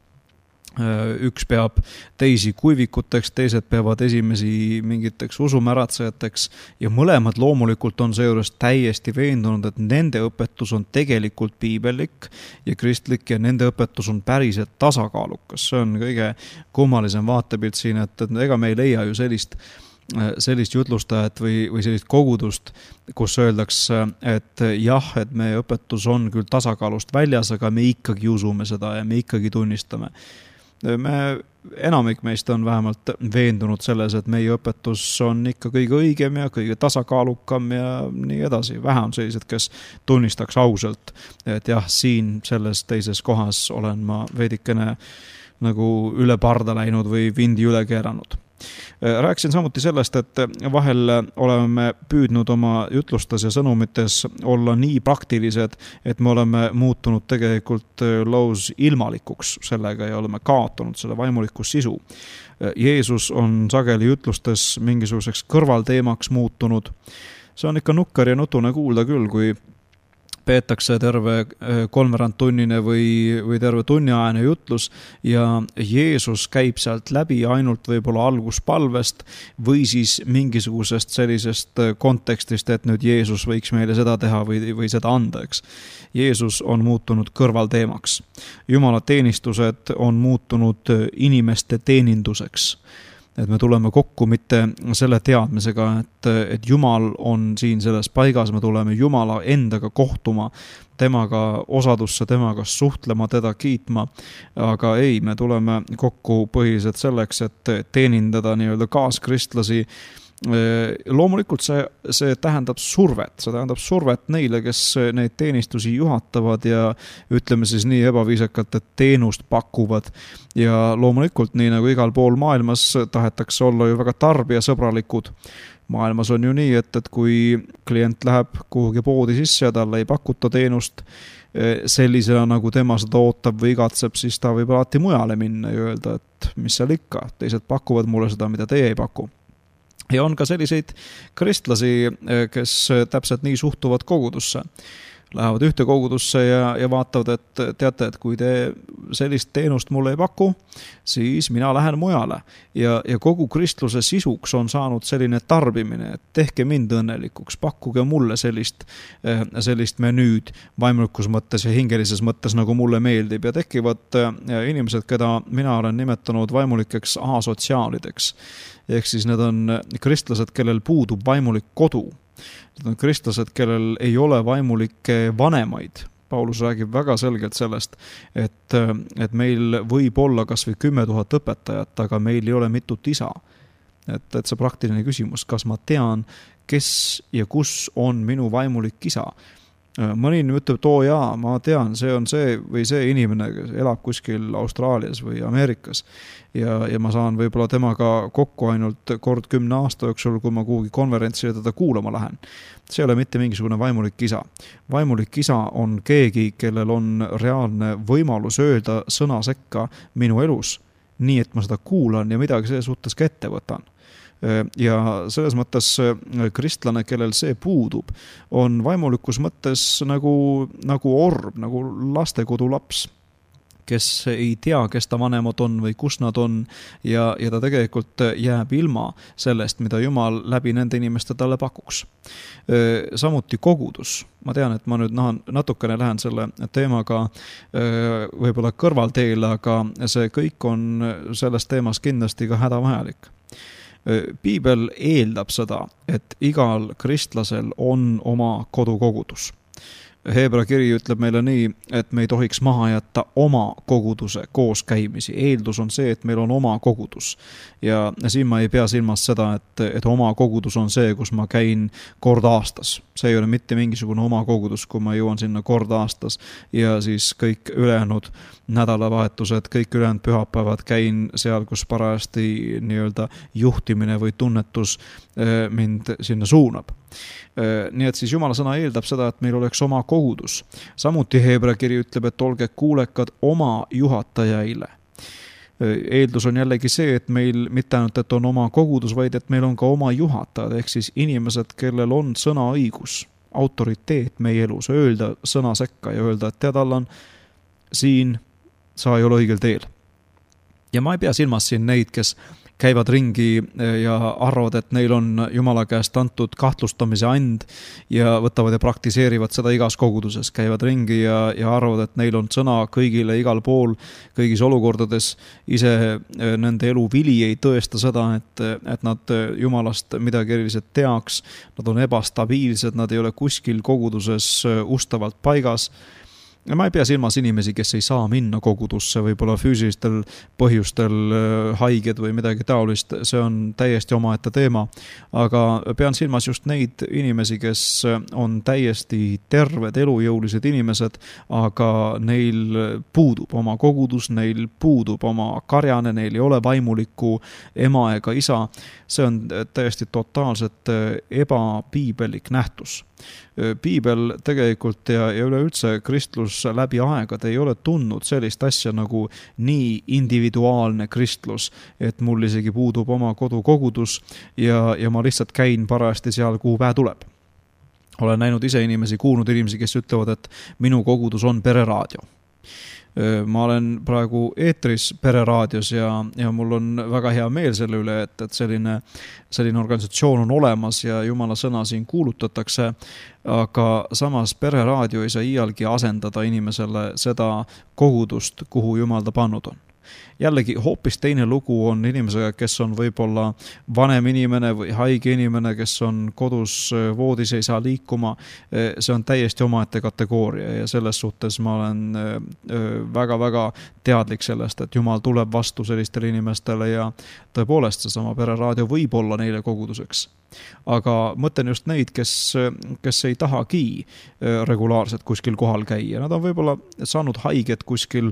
Üks peab teisi kuivikuteks, teised peavad esimesi mingiteks usumäratsejateks ja mõlemad loomulikult on seejuures täiesti veendunud, et nende õpetus on tegelikult piibellik ja kristlik ja nende õpetus on päriselt tasakaalukas. See on kõige kummalisem vaatepilt siin, et ega me ei leia ju sellist jutlustajat või sellist kogudust, kus öeldakse, et jah, et meie õpetus on küll tasakaalust väljas, aga me ikkagi usume seda ja me ikkagi tunnistame. Enamik meist on vähemalt veendunud selles, et meie õpetus on ikka kõige õigem ja kõige tasakaalukam ja nii edasi. Vähe on sellised, kes tunnistaks ausalt, et jah, siin selles teises kohas olen ma veidikene nagu üle parda läinud või vindi üle keeranud. Rääkisin samuti sellest, et vahel oleme püüdnud oma jutlustes ja sõnumites olla nii praktilised, et me oleme muutunud tegelikult laus ilmalikuks sellega ja oleme kaotanud selle vaimuliku sisu. Jeesus on sageli jutlustes mingisuguseks kõrvalteemaks muutunud. See on ikka nukker ja nutune kuulda küll, kui peetakse terve 3/4 tunnine või terve tunniajane jutlus ja Jeesus käib sealt läbi ainult võib-olla alguspalvest või siis mingisugusest sellisest kontekstist, et nüüd Jeesus võiks meile seda teha või seda anda, eks. Jeesus on muutunud kõrvalteemaks. Jumala teenistused on muutunud inimeste teeninduseks. Et me tuleme kokku mitte selle teadmisega, et Jumal on siin selles paigas, me tuleme Jumala endaga kohtuma, temaga osadusse, temaga suhtlema, teda kiitma, aga ei, me tuleme kokku põhiliselt selleks, et teenindada nii-öelda kaaskristlasi. Loomulikult see tähendab survet neile, kes neid teenistusi juhatavad ja ütleme siis nii ebaviisakalt, et teenust pakuvad. Ja loomulikult nii nagu igal pool maailmas tahetakse olla ju väga tarbijasõbralikud. Maailmas on ju nii, et kui klient läheb kuhugi poodi sisse ja talle ei pakuta teenust sellisena, nagu tema seda ootab või igatseb, siis ta võib alati mujale minna ja öelda, et mis seal ikka, teised pakuvad mulle seda, mida teie ei paku. Ja on ka selliseid kristlasi, kes täpselt nii suhtuvad kogudusse. Lähevad ühte kogudusse ja vaatavad, et teate, et kui te sellist teenust mulle ei paku, siis mina lähen mujale. Ja kogu kristluse sisuks on saanud selline tarbimine, et tehke mind õnnelikuks, pakkuge mulle sellist menüüd vaimulikus mõttes ja hingelises mõttes, nagu mulle meeldib. Ja tekivad inimesed, keda mina olen nimetanud vaimulikeks asotsiaalideks. Ehk siis need on kristlased, kellel puudub vaimulik kodu. Need on kristlased, kellel ei ole vaimulikke vanemaid. Paulus räägib väga selgelt sellest, et meil võib olla kas või 10 000 õpetajat, aga meil ei ole mitut isa. Et see praktiline küsimus, kas ma tean, kes ja kus on minu vaimulik isa? Mõni ütleb, et jaa, ma tean, see on see või see inimene, kes elab kuskil Austraalias või Ameerikas ja ma saan võib-olla temaga kokku ainult kord 10 aasta jooksul, kui ma kuhugi konverentsile teda kuulama lähen. See ei ole mitte mingisugune vaimulik isa. Vaimulik isa on keegi, kellel on reaalne võimalus öelda sõna sekka minu elus, nii et ma seda kuulan ja midagi selle suhtes ka ette võtan. Ja selles mõttes kristlane, kellel see puudub, on vaimulikus mõttes nagu orb, nagu lastekodu laps, kes ei tea, kes ta vanemad on või kus nad on ja ta tegelikult jääb ilma sellest, mida Jumal läbi nende inimeste talle pakuks. Samuti kogudus. Ma tean, et ma nüüd natukene lähen selle teemaga võib-olla kõrvalteele, aga see kõik on selles teemas kindlasti ka hädavajalik. Piibel eeldab seda, et igal kristlasel on oma kodukogudus. Heebra kiri ütleb meile nii, et me ei tohiks maha jätta oma koguduse kooskäimisi. Eeldus on see, et meil on oma kogudus. Ja siin ma ei pea silmas seda, et oma kogudus on see, kus ma käin kord aastas. See ei ole mitte mingisugune oma kogudus, kui ma jõuan sinna kord aastas ja siis kõik ülejäänud nädalavahetused, kõik ülejäänud pühapäevad käin seal, kus parajasti nii-öelda juhtimine või tunnetus mind sinna suunab. Nii et siis Jumala sõna eeldab seda, et meil oleks oma kogudus. Samuti Heebra kiri ütleb, et olge kuulekad oma juhatajaile. Eeldus on jällegi see, et meil mitte ainult, et on oma kogudus, vaid et meil on ka oma juhatajad, ehk siis inimesed, kellel on sõnaõigus, autoriteet meie elus, öelda sõna sekka ja öelda, et tead, Allan, siin sa ei ole õigel teel. Ja ma ei pea silmas siin neid, kes käivad ringi ja arvavad, et neil on Jumala käest antud kahtlustamise and ja võtavad ja praktiseerivad seda igas koguduses. Käivad ringi ja arvavad, et neil on sõna kõigile igal pool, kõigis olukordades. Ise nende elu vili ei tõesta seda, et nad Jumalast midagi eriliselt teaks. Nad on ebastabiilsed, nad ei ole kuskil koguduses ustavalt paigas. Ja ma ei pea silmas inimesi, kes ei saa minna kogudusse, võib-olla füüsilistel põhjustel haiged või midagi taolist, see on täiesti omaette teema. Aga pean silmas just neid inimesi, kes on täiesti terved, elujõulised inimesed, aga neil puudub oma kogudus, neil puudub oma karjane, neil ei ole vaimulikku ema ega isa. See on täiesti totaalselt ebapiibelik nähtus. Piibel tegelikult ja üleüldse kristlus läbi aegade ei ole tundnud sellist asja nagu nii individuaalne kristlus, et mul isegi puudub oma kodukogudus ja ma lihtsalt käin parajasti seal, kuhu päev tuleb. olen näinud ise inimesi, kuulnud inimesi, kes ütlevad, et minu kogudus on pereraadio. Ma olen praegu eetris pereraadios ja mul on väga hea meel selle üle, et selline organisatsioon on olemas ja Jumala sõna siin kuulutatakse, aga samas pereraadio ei saa iialgi asendada inimesele seda kogudust, kuhu Jumal ta pannud on. Jällegi hoopis teine lugu on inimesega, kes on võib-olla vanem inimene või haige inimene, kes on kodus voodis, ei saa liikuma. See on täiesti omaette kategooria ja selles suhtes ma olen väga-väga teadlik sellest, et Jumal tuleb vastu sellistele inimestele ja tõepoolest seesama pereraadio võib olla neile koguduseks. Aga mõtlen just neid, kes ei tahagi regulaarselt kuskil kohal käia. Nad on võib-olla saanud haiget kuskil,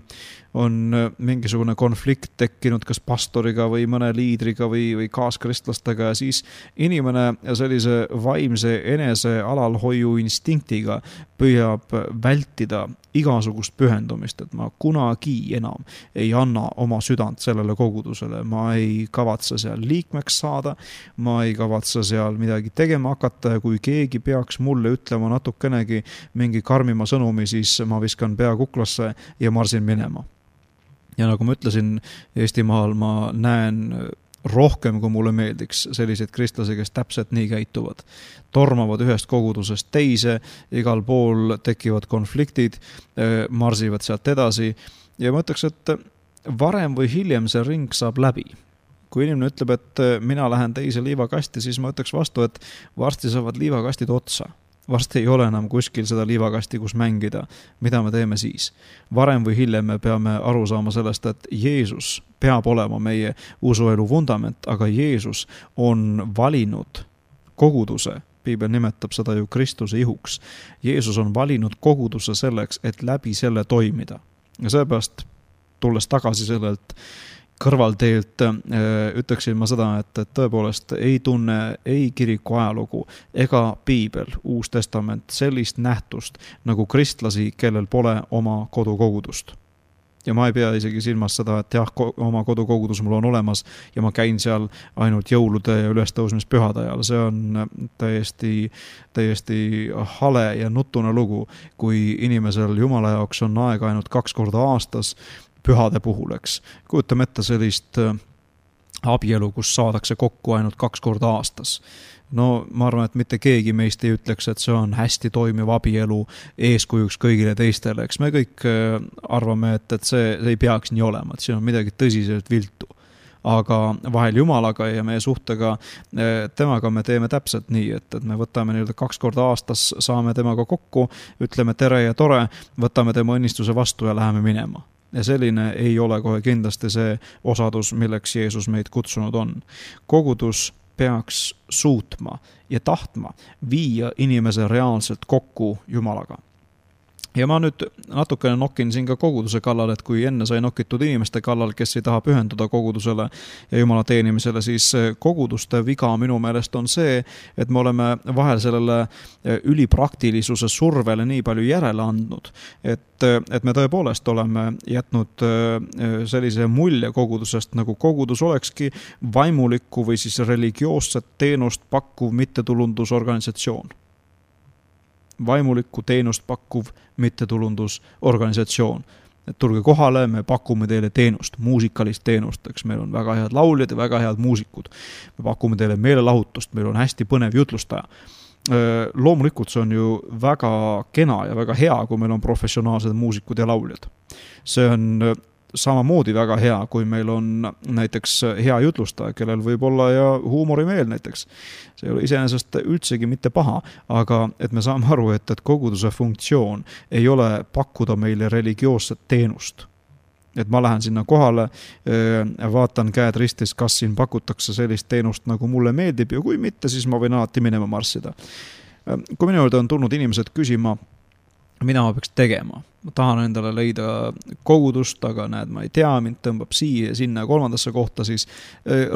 on mingisugune konflikt tekkinud kas pastoriga või mõne liidriga või kaaskristlastega ja siis inimene sellise vaimse enese alalhoiu instinktiga püüab vältida igasugust pühendumist, et ma kunagi enam ei anna oma südant sellele kogudusele, ma ei kavatse seal liikmeks saada, ma ei kavatse seal midagi tegema hakata ja kui keegi peaks mulle ütlema natukenegi mingi karmima sõnumi, siis ma viskan pea kuklasse ja marsin minema. Ja nagu ma ütlesin, Eestimaal ma näen rohkem, kui mulle meeldiks selliseid kristlasi, kes täpselt nii käituvad. Tormavad ühest kogudusest teise, igal pool tekivad konfliktid, marsivad sealt edasi ja ma ütleks, et varem või hiljem see ring saab läbi. Kui inimene ütleb, et mina lähen teise liivakasti, siis ma ütleks vastu, et varsti saavad liivakastid otsa. Varsti ei ole enam kuskil seda liivakasti, kus mängida. Mida me teeme siis? Varem või hiljem me peame aru saama sellest, et Jeesus peab olema meie usuelu vundament, aga Jeesus on valinud koguduse. Piibel nimetab seda ju Kristuse ihuks. Jeesus on valinud koguduse selleks, et läbi selle toimida. Ja seepärast, tulles tagasi sellelt kõrvalteelt, ütleksin ma seda, et tõepoolest ei tunne ei kiriku ajalugu ega Piibel, Uus Testament, sellist nähtust nagu kristlasi, kellel pole oma kodukogudust. Ja ma ei pea isegi silmas seda, et jah, oma kodukogudus mul on olemas ja ma käin seal ainult jõulude ja ülestõusmispühade ajal. See on täiesti hale ja nutune lugu, kui inimesel Jumala jaoks on aega ainult 2 korda aastas pühade puhul, eks. Kujutame ette sellist abielu, kus saadakse kokku ainult 2 korda aastas. No ma arvan, et mitte keegi meist ei ütleks, et see on hästi toimiv abielu eeskujuks kõigile teistele. Eks me kõik arvame, et see ei peaks nii olema, et siin on midagi tõsiselt viltu. Aga vahel Jumalaga ja meie suhtega temaga me teeme täpselt nii, et me võtame 2 korda aastas, saame temaga kokku, ütleme tere ja tore, võtame tema õnnistuse vastu ja läheme minema. Ja selline ei ole kohe kindlasti see osadus, milleks Jeesus meid kutsunud on. Kogudus peaks suutma ja tahtma viia inimese reaalselt kokku Jumalaga. Ja ma nüüd natukene nokin siin ka koguduse kallal, et kui enne sai nokitud inimeste kallal, kes ei taha pühenduda kogudusele ja Jumala teenimisele, siis koguduste viga minu meelest on see, et me oleme vahel sellele ülipraktilisuse survele nii palju järele andnud, et me tõepoolest oleme jätnud sellise mulje kogudusest, nagu kogudus olekski vaimulikku või siis religioosset teenust pakkuv mittetulundusorganisatsioon. Vaimulikku teenust pakkuv mittetulundusorganisatsioon. Et tulge kohale, me pakume teile teenust, muusikalist teenust, eks meil on väga head lauljad ja väga head muusikud. Me pakume teile meelelahutust, meil on hästi põnev jutlustaja. Loomulikult see on ju väga kena ja väga hea, kui meil on professionaalsed muusikud ja lauljad. See on samamoodi väga hea, kui meil on näiteks hea jutlustaja, kellel võib olla ja huumorimeel näiteks. See ei ole iseenesest üldsegi mitte paha, aga et me saame aru, et koguduse funktsioon ei ole pakkuda meile religioosset teenust. Et ma lähen sinna kohale, vaatan käed ristis, kas siin pakutakse sellist teenust, nagu mulle meeldib ja kui mitte, siis ma võin alati minema marssida. Kui minu juurde on tulnud inimesed küsima, mida ma peaks tegema. Ma tahan endale leida kogudust, aga näed, ma ei tea, mind tõmbab siia ja sinna 3. kohta, siis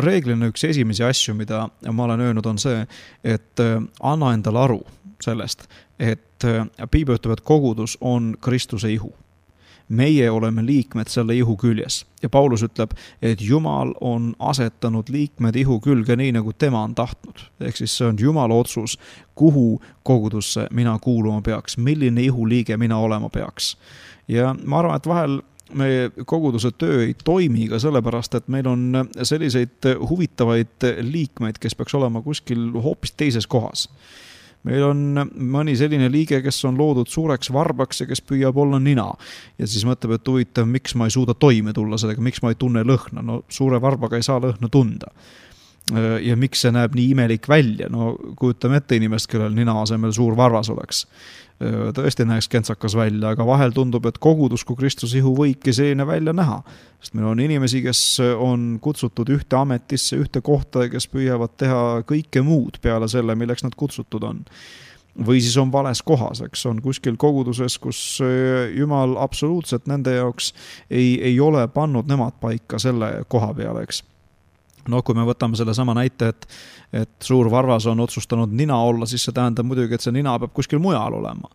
reeglina üks esimesi asju, mida ma olen öelnud, on see, et anna endale aru sellest, et Piibel ütleb, et kogudus on Kristuse ihu. meie oleme liikmed selle ihu küljes. Ja Paulus ütleb, et Jumal on asetanud liikmed ihu külge nii, nagu tema on tahtnud. Ehk siis see on Jumala otsus, kuhu kogudusse mina kuuluma peaks, milline ihuliige mina olema peaks. Ja ma arvan, et vahel meie koguduse töö ei toimi ka sellepärast, et meil on selliseid huvitavaid liikmeid, kes peaks olema kuskil hoopis teises kohas. Meil on mõni selline liige, kes on loodud suureks varbaks ja kes püüab olla nina. Ja siis mõtleb, et huvitav, miks ma ei suuda toime tulla sellega, miks ma ei tunne lõhna. No suure varbaga ei saa lõhna tunda. Ja miks see näeb nii imelik välja? No kujutame ette inimest, kellel nina asemel suur varvas oleks. Tõesti näeks kentsakas välja, aga vahel tundub, et kogudus kui Kristuse ihu võibki selline välja näha. Sest meil on inimesi, kes on kutsutud ühte ametisse, ühte kohta, kes püüavad teha kõike muud peale selle, milleks nad kutsutud on. Või siis on vales kohas, eks on kuskil koguduses, kus Jumal absoluutselt nende jaoks ei ole pannud nemad paika selle koha peale, eks. No kui me võtame selle sama näite, et suur varvas on otsustanud nina olla, siis see tähendab muidugi, et see nina peab kuskil mujal olema.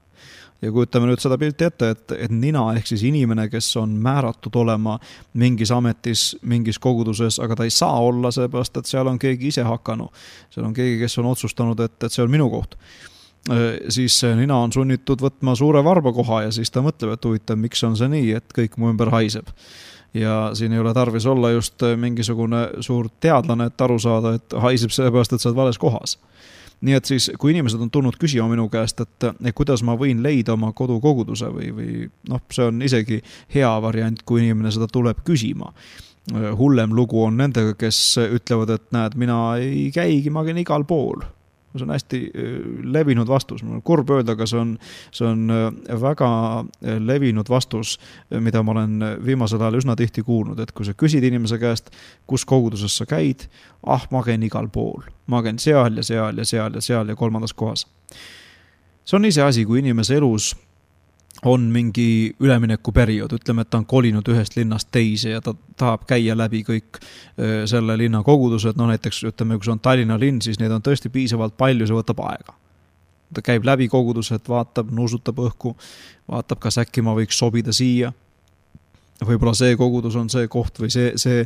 Ja kujutame nüüd seda pilti ette, et nina ehk siis inimene, kes on määratud olema mingis ametis, mingis koguduses, aga ta ei saa olla seepärast, et seal on keegi ise hakanu. Seal on keegi, kes on otsustanud, et see on minu koht. Siis nina on sunnitud võtma suure varba koha ja siis ta mõtleb, et huvitav, miks on see nii, et kõik mu ümber haiseb. Ja siin ei ole tarvis olla just mingisugune suur teadlane, et aru saada, et haiseb sellepärast, et sa oled vales kohas. Nii et siis, kui inimesed on tulnud küsima minu käest, et kuidas ma võin leida oma kodukoguduse või see on isegi hea variant, kui inimene seda tuleb küsima. Hullem lugu on nendega, kes ütlevad, et näed, mina ei käigi, ma käin igal pool. See on hästi levinud vastus. Mul on kurb öelda, aga see on väga levinud vastus, mida ma olen viimasel ajal üsna tihti kuulnud, et kui sa küsid inimese käest, kus koguduses sa käid, ma käin igal pool. Ma käin seal ja seal ja seal ja seal ja kolmandas kohas. See on ise asi, kui inimese elus on mingi üleminekuperiood, ütleme, et ta on kolinud ühest linnast teise ja ta tahab käia läbi kõik selle linna kogudused, näiteks ütleme, kui see on Tallinna linn, siis neid on tõesti piisavalt palju, see võtab aega. Ta käib läbi kogudused, vaatab, nuusutab õhku, vaatab, kas äkki ma võiks sobida siia. Võib-olla see kogudus on see koht või see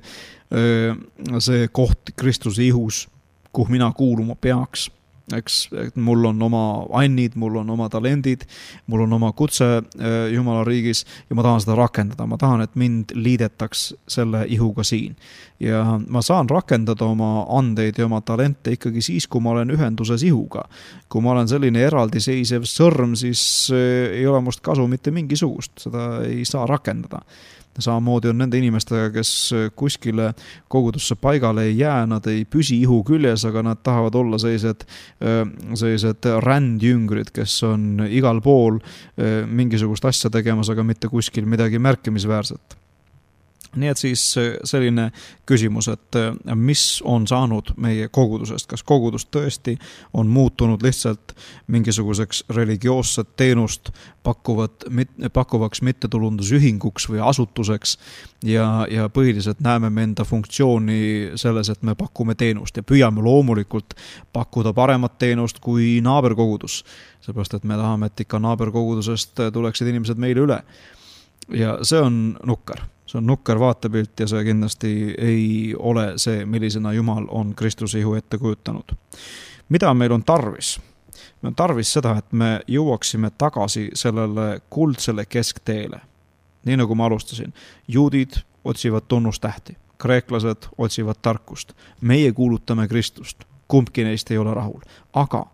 koht Kristuse ihus, kuhu mina kuuluma peaks. Eks mul on oma annid, mul on oma talendid, mul on oma kutse Jumala riigis ja ma tahan seda rakendada. Ma tahan, et mind liidetaks selle ihuga siin. Ja ma saan rakendada oma andeid ja oma talente ikkagi siis, kui ma olen ühenduses ihuga. Kui ma olen selline eraldiseisev sõrm, siis ei ole must kasu mitte mingisugust. Seda ei saa rakendada. Samamoodi on nende inimestega, kes kuskile kogudusse paigale ei jää, nad ei püsi ihu küljes, aga nad tahavad olla sellised rändjüngrid, kes on igal pool mingisugust asja tegemas, aga mitte kuskil midagi märkimisväärset. Nii et siis selline küsimus, et mis on saanud meie kogudusest, kas kogudus tõesti on muutunud lihtsalt mingisuguseks religioosset teenust pakkuvaks mittetulundusühinguks või asutuseks ja põhiliselt näeme me enda funktsiooni selles, et me pakume teenust ja püüame loomulikult pakkuda paremat teenust kui naaberkogudus, seepärast et me tahame, et ikka naaberkogudusest tuleksid inimesed meile üle ja see on nukker. See on nukker vaatepilt ja see kindlasti ei ole see, millisena Jumal on Kristuse ihu ette kujutanud. Mida meil on tarvis? Meil on tarvis seda, et me jõuaksime tagasi sellele kuldsele keskteele. Nii nagu ma alustasin, juudid otsivad tunnustähti, kreeklased otsivad tarkust. Meie kuulutame Kristust, kumbki neist ei ole rahul, aga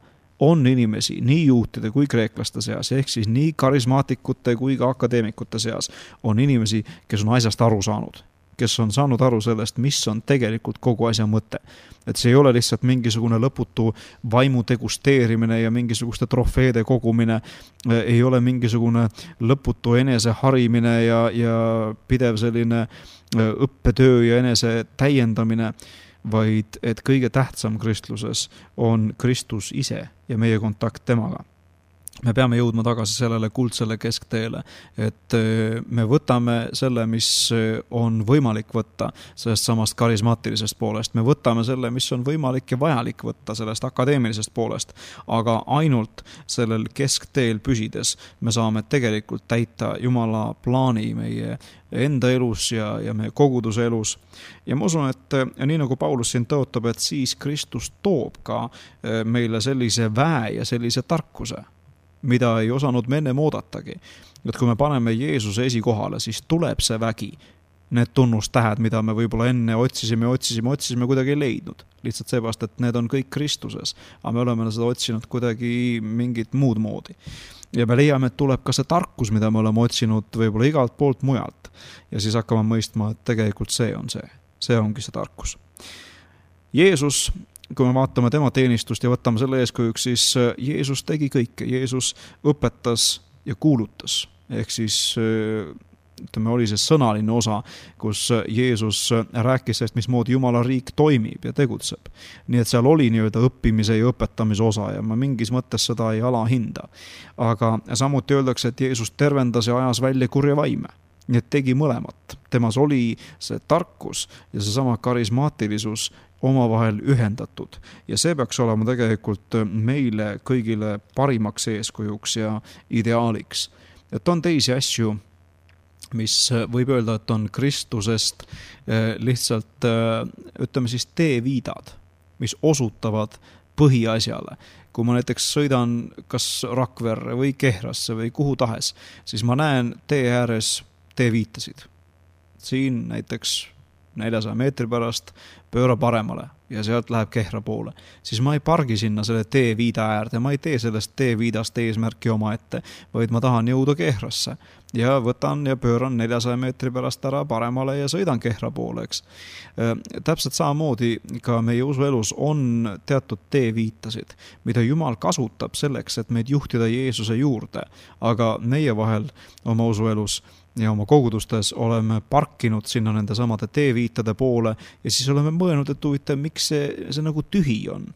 on inimesi nii juutide kui kreeklaste seas, ehk siis nii karismaatikute kui ka akadeemikute seas on inimesi, kes on asjast aru saanud, kes on saanud aru sellest, mis on tegelikult kogu asja mõte. Et see ei ole lihtsalt mingisugune lõputu vaimu degusteerimine ja mingisuguste trofeede kogumine, ei ole mingisugune lõputu enese harimine ja pidev selline õppetöö ja enese täiendamine, vaid et kõige tähtsam kristluses on Kristus ise ja meie kontakt temaga. me peame jõudma tagasi sellele kuldsele keskteele, et me võtame selle, mis on võimalik võtta sellest samast karismaatilisest poolest. Me võtame selle, mis on võimalik ja vajalik võtta sellest akadeemilisest poolest, aga ainult sellel keskteel püsides me saame tegelikult täita Jumala plaani meie enda elus ja meie koguduse elus. Ja ma usun, et nii nagu Paulus siin tõotab, et siis Kristus toob ka meile sellise väe ja sellise tarkuse, mida ei osanud me ennem oodatagi. Et kui me paneme Jeesuse esikohale, siis tuleb see vägi. Need tunnustähed, mida me võib-olla enne otsisime, kuidagi ei leidnud. Lihtsalt seepärast, et need on kõik Kristuses, aga me oleme seda otsinud kuidagi mingit muud moodi. Ja me leiame, et tuleb ka see tarkus, mida me oleme otsinud võib-olla igalt poolt mujalt. Ja siis hakkame mõistma, et tegelikult see on see. See ongi see tarkus. Jeesus, kui me vaatame tema teenistust ja võtame selle eeskujuks, siis Jeesus tegi kõike. Jeesus õpetas ja kuulutas. Ehk siis oli see sõnaline osa, kus Jeesus rääkis sellest, mismoodi Jumala riik toimib ja tegutseb. Nii et seal oli nii-öelda õppimise ja õpetamise osa ja ma mingis mõttes seda ei alahinda. Aga samuti öeldakse, et Jeesus tervendas ja ajas välja kurja vaime. Nii et tegi mõlemat. Temas oli see tarkus ja see sama karismaatilisus omavahel ühendatud. Ja see peaks olema tegelikult meile kõigile parimaks eeskujuks ja ideaaliks. Et on teisi asju, mis võib öelda, et on Kristusest lihtsalt, ütleme siis, teeviidad, mis osutavad põhiasjale. Kui ma näiteks sõidan kas Rakverre või Kehrasse või kuhu tahes, siis ma näen tee ääres teeviitasid. Siin näiteks 400 meetri pärast pööra paremale ja sealt läheb Kehra poole. Siis ma ei pargi sinna selle teeviida äärde, ma ei tee sellest teeviidast eesmärki oma ette, vaid ma tahan jõuda Kehrasse ja võtan ja pööran 400 meetri pärast ära paremale ja sõidan Kehra poole, eks. Täpselt samamoodi ka meie usuelus on teatud teeviitasid, mida Jumal kasutab selleks, et meid juhtida Jeesuse juurde, aga meie vahel oma usuelus ja oma kogudustes oleme parkinud sinna nende samade teeviitade poole ja siis oleme mõelnud, et huvitav, miks see nagu tühi on.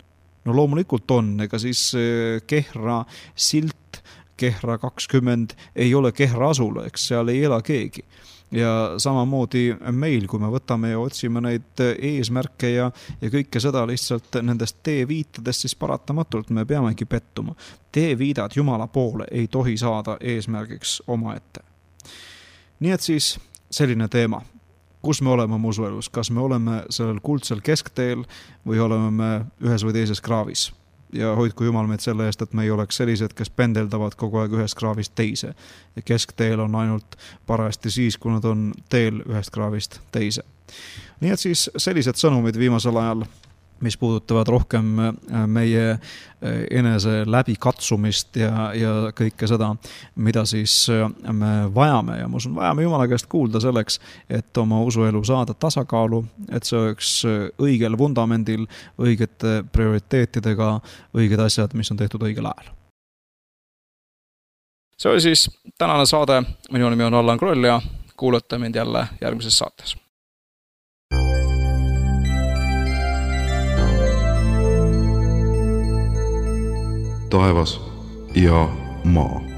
No loomulikult on, ega siis Kehra silt, Kehra 20 ei ole Kehra asula, eks seal ei ela keegi. Ja samamoodi meil, kui me võtame ja otsime neid eesmärke ja kõike seda lihtsalt nendest teeviitadest, siis paratamatult me peamegi pettuma. Teeviidad Jumala poole ei tohi saada eesmärgiks omaette. Nii et siis selline teema, kus me oleme oma usuelus, kas me oleme sellel kuldsel keskteel või oleme me ühes või teises kraavis. Ja hoidku Jumal meid selle eest, et me ei oleks sellised, kes pendeldavad kogu aeg ühest kraavist teise. Ja keskteel on ainult parajasti siis, kui nad on teel ühest kraavist teise. Nii et siis sellised sõnumid viimasel ajal, mis puudutavad rohkem meie enese läbikatsumist ja kõike seda, mida siis me vajame. Ja ma usun, vajame Jumala käest kuulda selleks, et oma usuelu saada tasakaalu, et see oleks õigel vundamendil, õigete prioriteetidega, õiged asjad, mis on tehtud õigel ajal. See oli siis tänane saade. Minu nimi on Allan Kroll ja kuulate mind jälle järgmises saates. Taevas ja maa.